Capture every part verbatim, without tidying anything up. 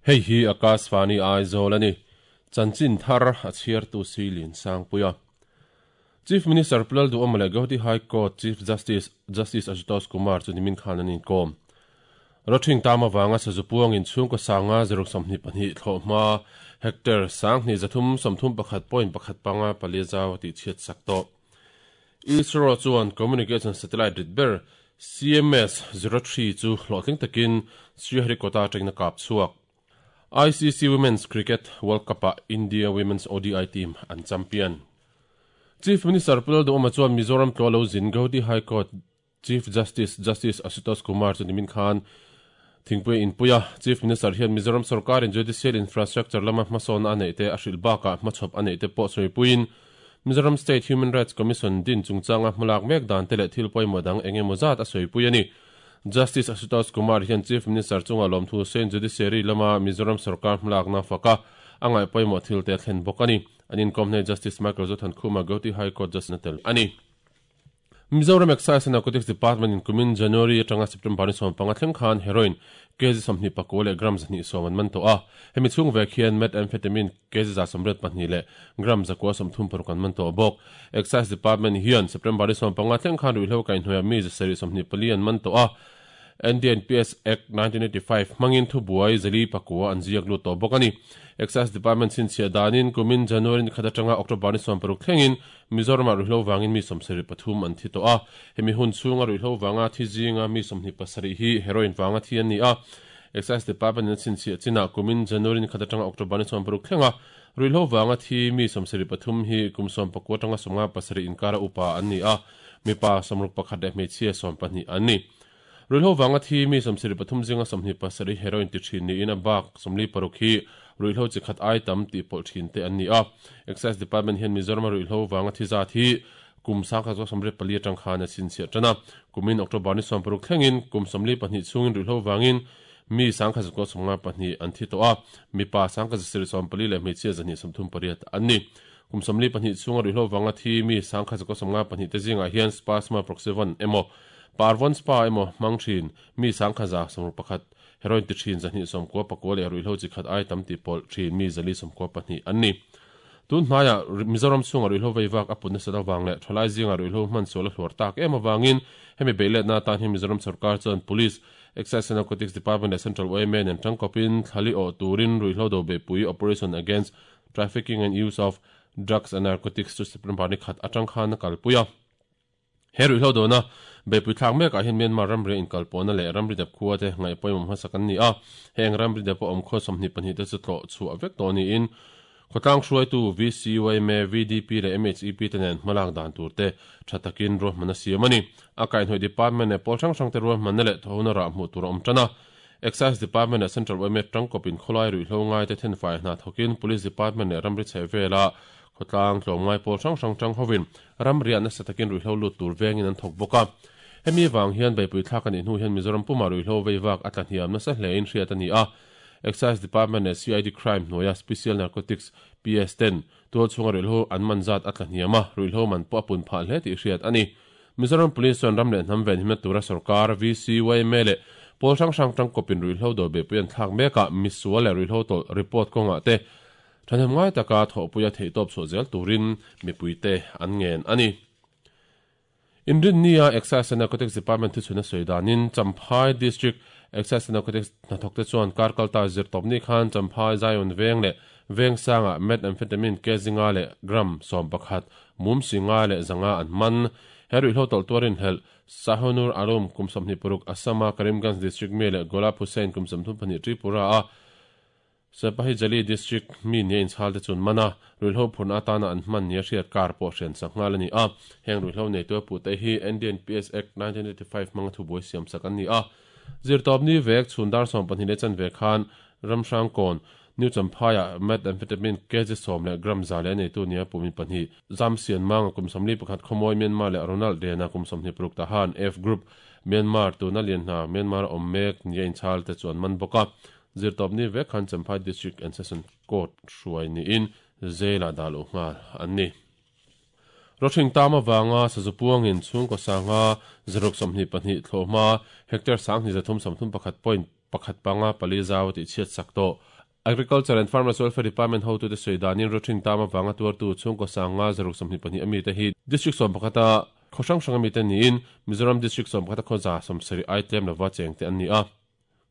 Hei hi Akashvani Aizawl ani. Chanchin thar a chhiar tu silin sangpuia. Chief Minister Pu Lalduhoma leh Guwahati High Court Chief Justice Justice Ashutosh Kumar chu nimin khan an inkawm. Rawthing tam avanga sazu puangin chhungkaw sanga zaruk sawmhnih pahnih thlawh hma hectare sanghnih zathum sawmthum pakhat point pakhat panga pali zau tih chhiat sak tawh. ISRO chuan Communication Satellite rit ber C M S zero three chu hlawhtling takin Sriharikota atangin a kap chhuak. I C C Women's Cricket World Cup-ah India Women's O D I team an champion. Chief Minister Pu Lalduhoma chuan Mizoram tlaw lo zin Guwahati High Court Chief Justice Justice Ashutosh Kumar chu nimin khan Thingpui inpuia Chief Minister hian Mizoram sarkarin judicial infrastructure lama hmasawn a neih te a hrilh bakah hmachhawp a neih te pawh sawipuiin Mizoram State Human Rights Commission din chungchanga hmalak mek dan te leh thil pawimawh dang eng emaw zat a sawipui a ni. Justice Ashutosh Kumar hian Chief Minister chunga lawmthu Saint Judiciary lama Mizoram sarkar hmalakna faka a ngaih pawimawh thil te a thlen bawk a ni. An inkawm hneh Justice Michael Zothankhuma Guwahati High Court Judge na tel a ni. Mizoram Excise and Narcotics Department in kumin January atanga September ni sawm panga thleng khan heroin kg sawmhnih pakua leh gram zahnih sawm an man tawh a. Hemi chhung vek hian methamphetamine kg za sawmriat pahnih leh gram zakua sawmthum paruk an man tawh bawk. Excise Department hian September ni sawm panga thleng khan ruihhlo kaihhnuaiah mi zasarih sawmhnih pali an man tawh a. N D N P S Act nineteen eighty-five hmangin thubuai zali pakua an ziak lut tawh bawk a ni. Excise Department chhinchhiah danin kumin January ni khat atanga October ni sawm paruk thlengin Mizoramah ruihhlo vangin mi sawmsarih pathum an thi tawh a. Hemi hun chhunga ruihhlo vanga thi zinga mi sawmhnih pasarih hi heroin vanga thi an ni a. Excise Department in chhinchhiah chinah kumin January ni khat atanga October ni sawm paruk thlenga ruihhlo vanga thi mi sawmsarih pathum hi kum sawm pakua atanga sawmnga pasarih inkara upa an ni a. Mipa sawmruk pakhat leh hmeichhia sawm pahnih an ni. Ruihhlo vanga thi mi sawmsarih pathum zinga sawmhnih pasarih heroin ti thin niin a bak sawmli paruk hi ruihhlo chi khat ai tam tih pawlh thin te an ni a. Excise Department hian Mizoram ruihhlo vanga thi zat hi kum sangkhat zawk sawmriat pali atang khan a chhinchhiah tan a. Kumin October ni sawm paruk thlengin kum sawmli pahnih chhungin ruihhlo vangin mi sangkhat zawk sawmnga pahnih an thi tawh a. Mipa sangkhat zasarih sawm pali leh hmeichhia zahnih sawmthum pariat an ni. Kum sawmli pahnih chhunga ruihhlo vanga thi mi sangkhat zawk sawmnga pahnih te zingah hian Spasma Proxyvan emaw Parvon Spa emaw hmang thin mi sangkhaza sawmruk pakhat heroin ti thin zahnih sawmkua pakua leh ruihhlo chi khat ai tam ti pawlh thin mi zali sawmkua pahnih an ni. Tun hnaia Mizoram chhunga ruihhlo veivak a put nasa awang leh thalai zinga ruihhlo hman sual a hluar tak em awangin hemi beiletna atan hi Mizoram sarkar chuan Police, Excise and Narcotics Department leh Central Y M A nen tangkawpin thlali awh turin ruihhlo do beipui Operation Against Trafficking and Use of Drugs and Narcotics chu September ni khat atang khan a kalpui a. He ruihhlo dona beipui thlak mekah hian Myanmar ramri inkalpawhna leh ramri dep khua te ngaih pawimawh hmasak an ni a. Heng ramri dep a awm khaw sawmhnih pahnih te chu tlawh chhuah vek tawh niin khawtlang hruaitu V C Y M A, V D P leh M H E P te nen hmalak dan tur te tha takin ruahman a siam a ni. A kaihhnawih department leh pawl hrang hrang te ruahmanna leh thawhna rah hmuh tur a awm tan a. Excise Department leh Central Y M A tangkawpin khawlai ruihhlo ngai te thenfai hna thawkin Police Department leh ramri chheh vela khawtlang tlawmngai pawl hrang hrang tang hovin ramriah nasa takin ruihhlo lut tur vengin an thawk bawk a. Hemi wang hian beipui thlak ani hnu hian Mizoram puma ruihhlo veivak a tla hniam nasa hlein hriat a ni a. Excise Department leh C I D Crime hnuaia Special Narcotics P S ten tual chhunga ruihhlo an man zat a tla hniam a, ruihhlo man pawh a pun phah hle tih hriat a ni. Mizoram Police chuan ram leh hnam ven himna tura sarkar V C Y M A leh pawl hrang hrang tangkawpin ruihhlo do beipui an thlak mekah misual leh ruihhlo tawlh report kawngah te thanem ngai taka thawhpuia theihtawp chhuah zel turin mipuite an ngen a ni. Inrin nia Excise and Narcotics Department thuchhuna sawi danin Champhai District Excise and Narcotics hnathawk te chuan karkalta zirtawp ni khan Champhai Zion veng leh veng sanga methamphetamine kg leh gram sawm pakhat mum singa leh zanga an man. He ruihhlo tawlh tuarin helh Sahonur Arum kum sawmhnih paruk Assama Karimganj District mi leh Golap Hussain kum sawmthum pahnih Tripura a Sepahi Jali District mi nia inchhal te chun mana ruihhlo phurna atana an hman nia hriat kar pawh hrian sak nghal a ni a. Heng ruihhlo nei tu a pu te hi N D N P S Act nineteen eighty-five hmanga thubuai siam sak an ni a. Zirtawp ni vek chhundar sawm pahnih leh chan ve khan Ramhrang kawn New Champhaiah methamphetamine kg sawm leh gram za leh nei tu nia pumin pahnih Zam Sian Manga kum sawmli pakhat Khawmawi Myanmar leh Ronald Dena kum sawmhnih paruk Tahan F Group Myanmar tuna lian hna Myanmar awm mek nia inchhal te chuan man bawk a. Zirtawp ni vek khan Champhai District and Session Court hruai niin zela dal u nghal an ni. Rawthing tam awanga sazu puangin chhungkaw sanga zaruk sawmhnih pahnih thlawh hma hectare sanghnih zathum sawmthum pakhat point pakhat panga pali zau tih chhiat sak tawh. Agriculture and Farmers Welfare Department ho tu te soidanin rothing tama wanga tuar tu chungko sanga zaruk samni pani ami te hi district som pakhata khosang sanga mi te niin Mizoram district som pakhata khoza somsari item lova cheng te ani a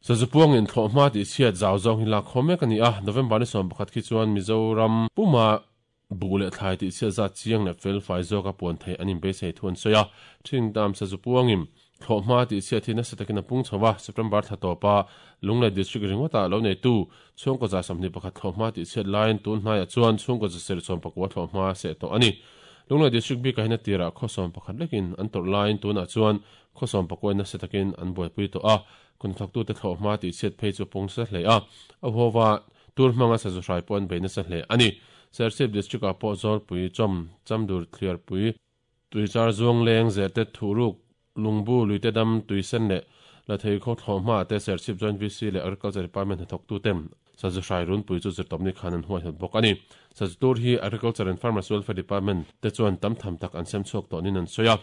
sazupuang in thloma ti chiat zaw zong hi la khome kani a November ni som pakhat khi chuan Mizoram puma bule thlai ti chia za chiang le fel fai zo ka pon thei anin be sei thun soya thing dam sazupuang im thloma ti chia thina satakina pung chawa September thatopa Lunglei district ringota lo nei tu chungko za samni pakhat thloma ti chiat line tun hnai chuan chungko za ser chom pakwa thloma se to ani Lunglei district bi ka hina tira khosom pakhat lekin an tor line tuna chuan khosom pakwa na setakin an boi pui to a kun thak tu te thloma ti chiat phei chu pung sa hle a a howa tur manga sa zu hrai pon beina sa hle ani Serchhip district a po zol pui chom chamdur clear pui tuichar zuang leng zete thuruk lungbu luite dam tuisen le la thei kho thloma te Serchhip joint V C le agriculture department thok tu tem sa zu hrai run pui chu zirtomni khanan huai hat bok ani sa zu tur hi agriculture and farmers welfare department te chuan tam tham tak an sem chhuak to nin an soya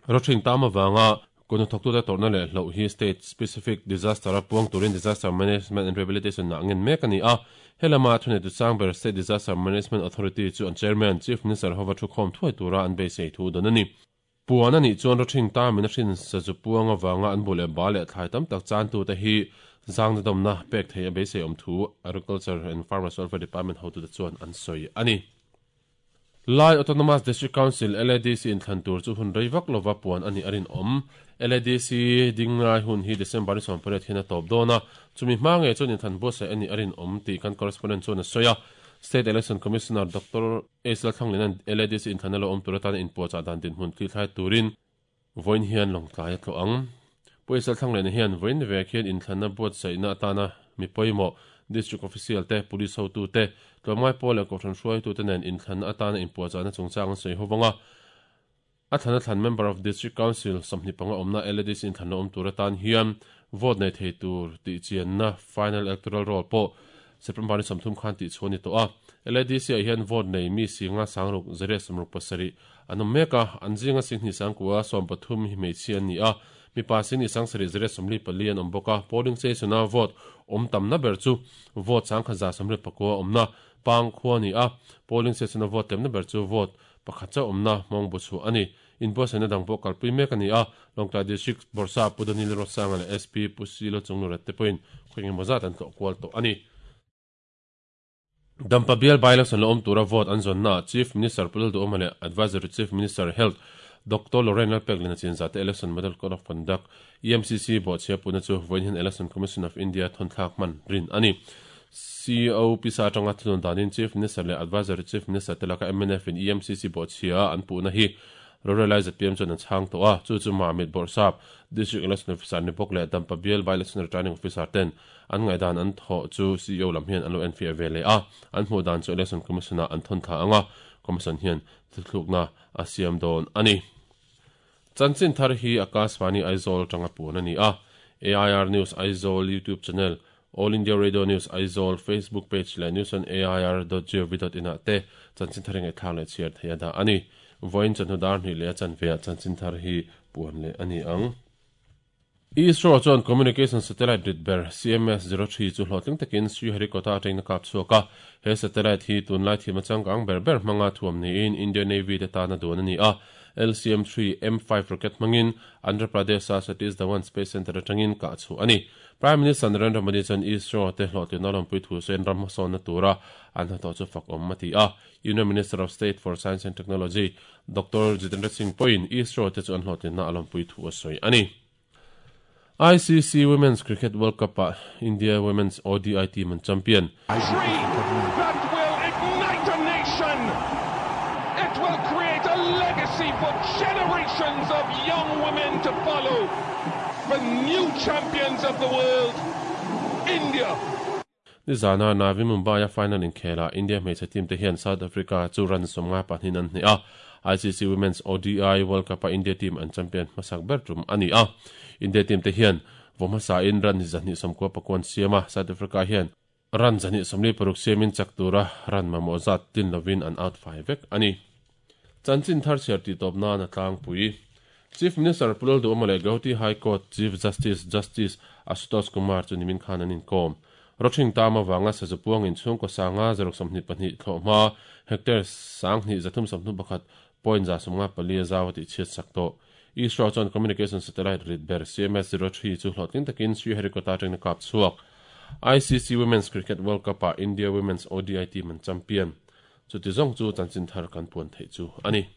rothing tama wanga kono thok tu te torna le hlo hi state specific disaster a puang turin disaster management and rehabilitation na ngen mek ani a helama thune tu sangber state disaster management authority chu an chairman chief minister hova thu khom thuai tura an be sei thu don ani puana ni chuan rothing ta min hrin sa zu puanga wanga an bule ba le thlai tam tak chan tu te hi zang na dom na pek thei a be sei om thu agriculture and farmers welfare department ho tu te chuan an soi ani Lai Autonomous District Council L A D C in Thantur chu hun reivak lova puan ani arin om L A D C dingngai hun hi December ni som pariat hian a tawp dawna chumi hma nge chuan in than bo se ani arin om ti kan correspondent chuan a sawi a State Election Commissioner Doctor Aisla Thanglin L A D C in thanalo om turatan in puacha dan din hun thlai turin voin hian longtlai a tlo ang Puaisal Thanglin hian voin vek hian in thlanna buat saina atana mi pawimawh district official te police ho tu te tlawmngai pawl leh kohhran hruai tu te nen in thlanna atana in puacha na chungchang an sawi hovanga a thlanna thlan member of district council sawmhnih panga awmna L A D C in thlanna awm tur atan hian vote nei thei tur tih chianna final electoral roll pawh September ni sawmthum khan tih chhuan ni tawh a L A D C ah hian vote nei mi singa sangruk zariat sawmruk pasarih an awm mek a an zinga singhnih sangkua sawm pathum hi hmeichhia an ni a mi pa sing ni sangsarih zariat sawmli pali an awm bawk a polling station a vote awm tamna ber chu vote sangkhat za sawmriat pakua awmna pang khua ni a polling station a vote tlemna ber chu vote pakhat cha awmna mawngbu chu ani inbuatsaihna dang pawh kalpui mek ani a Lawngtlai district Borsa Pudanil Rosanga leh S P Pusilo Chunglurat te pawhin khaweng emaw zat an tlawh kual tawh ani Dampa Bial by-election lo awm tura vote an zawnna Chief Minister Pulal Duhoma leh Advisory Chief Minister Health Doctor Lorraine Lalpeklin a chinza te Election Model Code of Conduct E M C C bawhchhia puna chu vawiin hian Election Commission of India thawnthlak hman rin ani C O Pisa atanga thunun danin Chief Minister leh Advisory Chief Minister te laka M N F in E M C C bawhchhia an puhna hi Rorelai Z P M chuan an chhang tawh a chu chu Mamit Bawrhsap District Election Officer ni bawk leh Dampa Bial by-election Returning Officer ten an ngaidan an thaw chu C E O lam hian an lo enfiah ve leh a an hmuh dan chu Election Commission a an thawn thla anga Commission hian thuthlukna a siam dawn ani Chanchin thar hi Akashvani Aizawl tanga puan ani a A I R News Aizawl YouTube channel All India Radio News Aizawl Facebook page leh news on A I R dot gov dot in ah te chanchin thar ngai thlang leh chhiar thei a dah ani voin chanhu dar hnih leh a chanve ah chanchin thar hi puan leh ani ang ISRO chuan communication satellite rit ber C M S zero three chu hlawhtling takin Sriharikota atangin a kap chhuak a he satellite hi tunlai thim a changkang ber ber hmanga thuam niin Indian Navy te tana duan ani a L C M three M five rocket hmangin Andhra Pradesh a Satish Dhawan Space Center atangin kah chu ani Prime Minister Narendra Modi chuan ISRO te hlawhtlin a lawmpui thu sawiin ram hmasawnna tura an hnathawh chu fak awm a ti a Union Minister of State for Science and Technology Doctor Jitendra Singh pawhin ISRO te chu an hlawhtlinna a lawmpui thu a sawi ani I C C Women's Cricket World Cup ah India Women's O D I team an champion That will ignite a nation. It will create a legacy for generations of young women to follow. The new champions of the world, India. Ni zana Navi Mumbai a final in Khela India hmeichhe team te hian South Africa chu ran sawmnga pahnih an hnih a I C C Women's O D I World Cup a India team an champion hmasak ber tum ani a India team te hian vawmhmasa in ran zahnih sawmkua pakuan siam a South Africa hian ran zahnih sawmli paruk siamin chak tura ran mamawh zat tin lovin an out fai vek ani Chanchin thar chhiar ti tawp nan a tlangpui Chief Minister Pulal Duhoma leh Guwahati High Court Chief Justice Justice Ashutosh Kumar chu nimin khan an inkom Roching tama wanga sa zupuang in chung ko sanga zarok samni pahnih thlohma hectare sang ni zathum samnu pakhat point za somnga pali zawati chiat sakto. ISRO chuan communication satellite rit ber C M S zero three chu hlawhtlin takin Sriharikota atangin kap chhuak. I C C Women's Cricket World Cup a India Women's O D I team an champion. Chuti zong chu chanchin thar kan puan thei chu ani.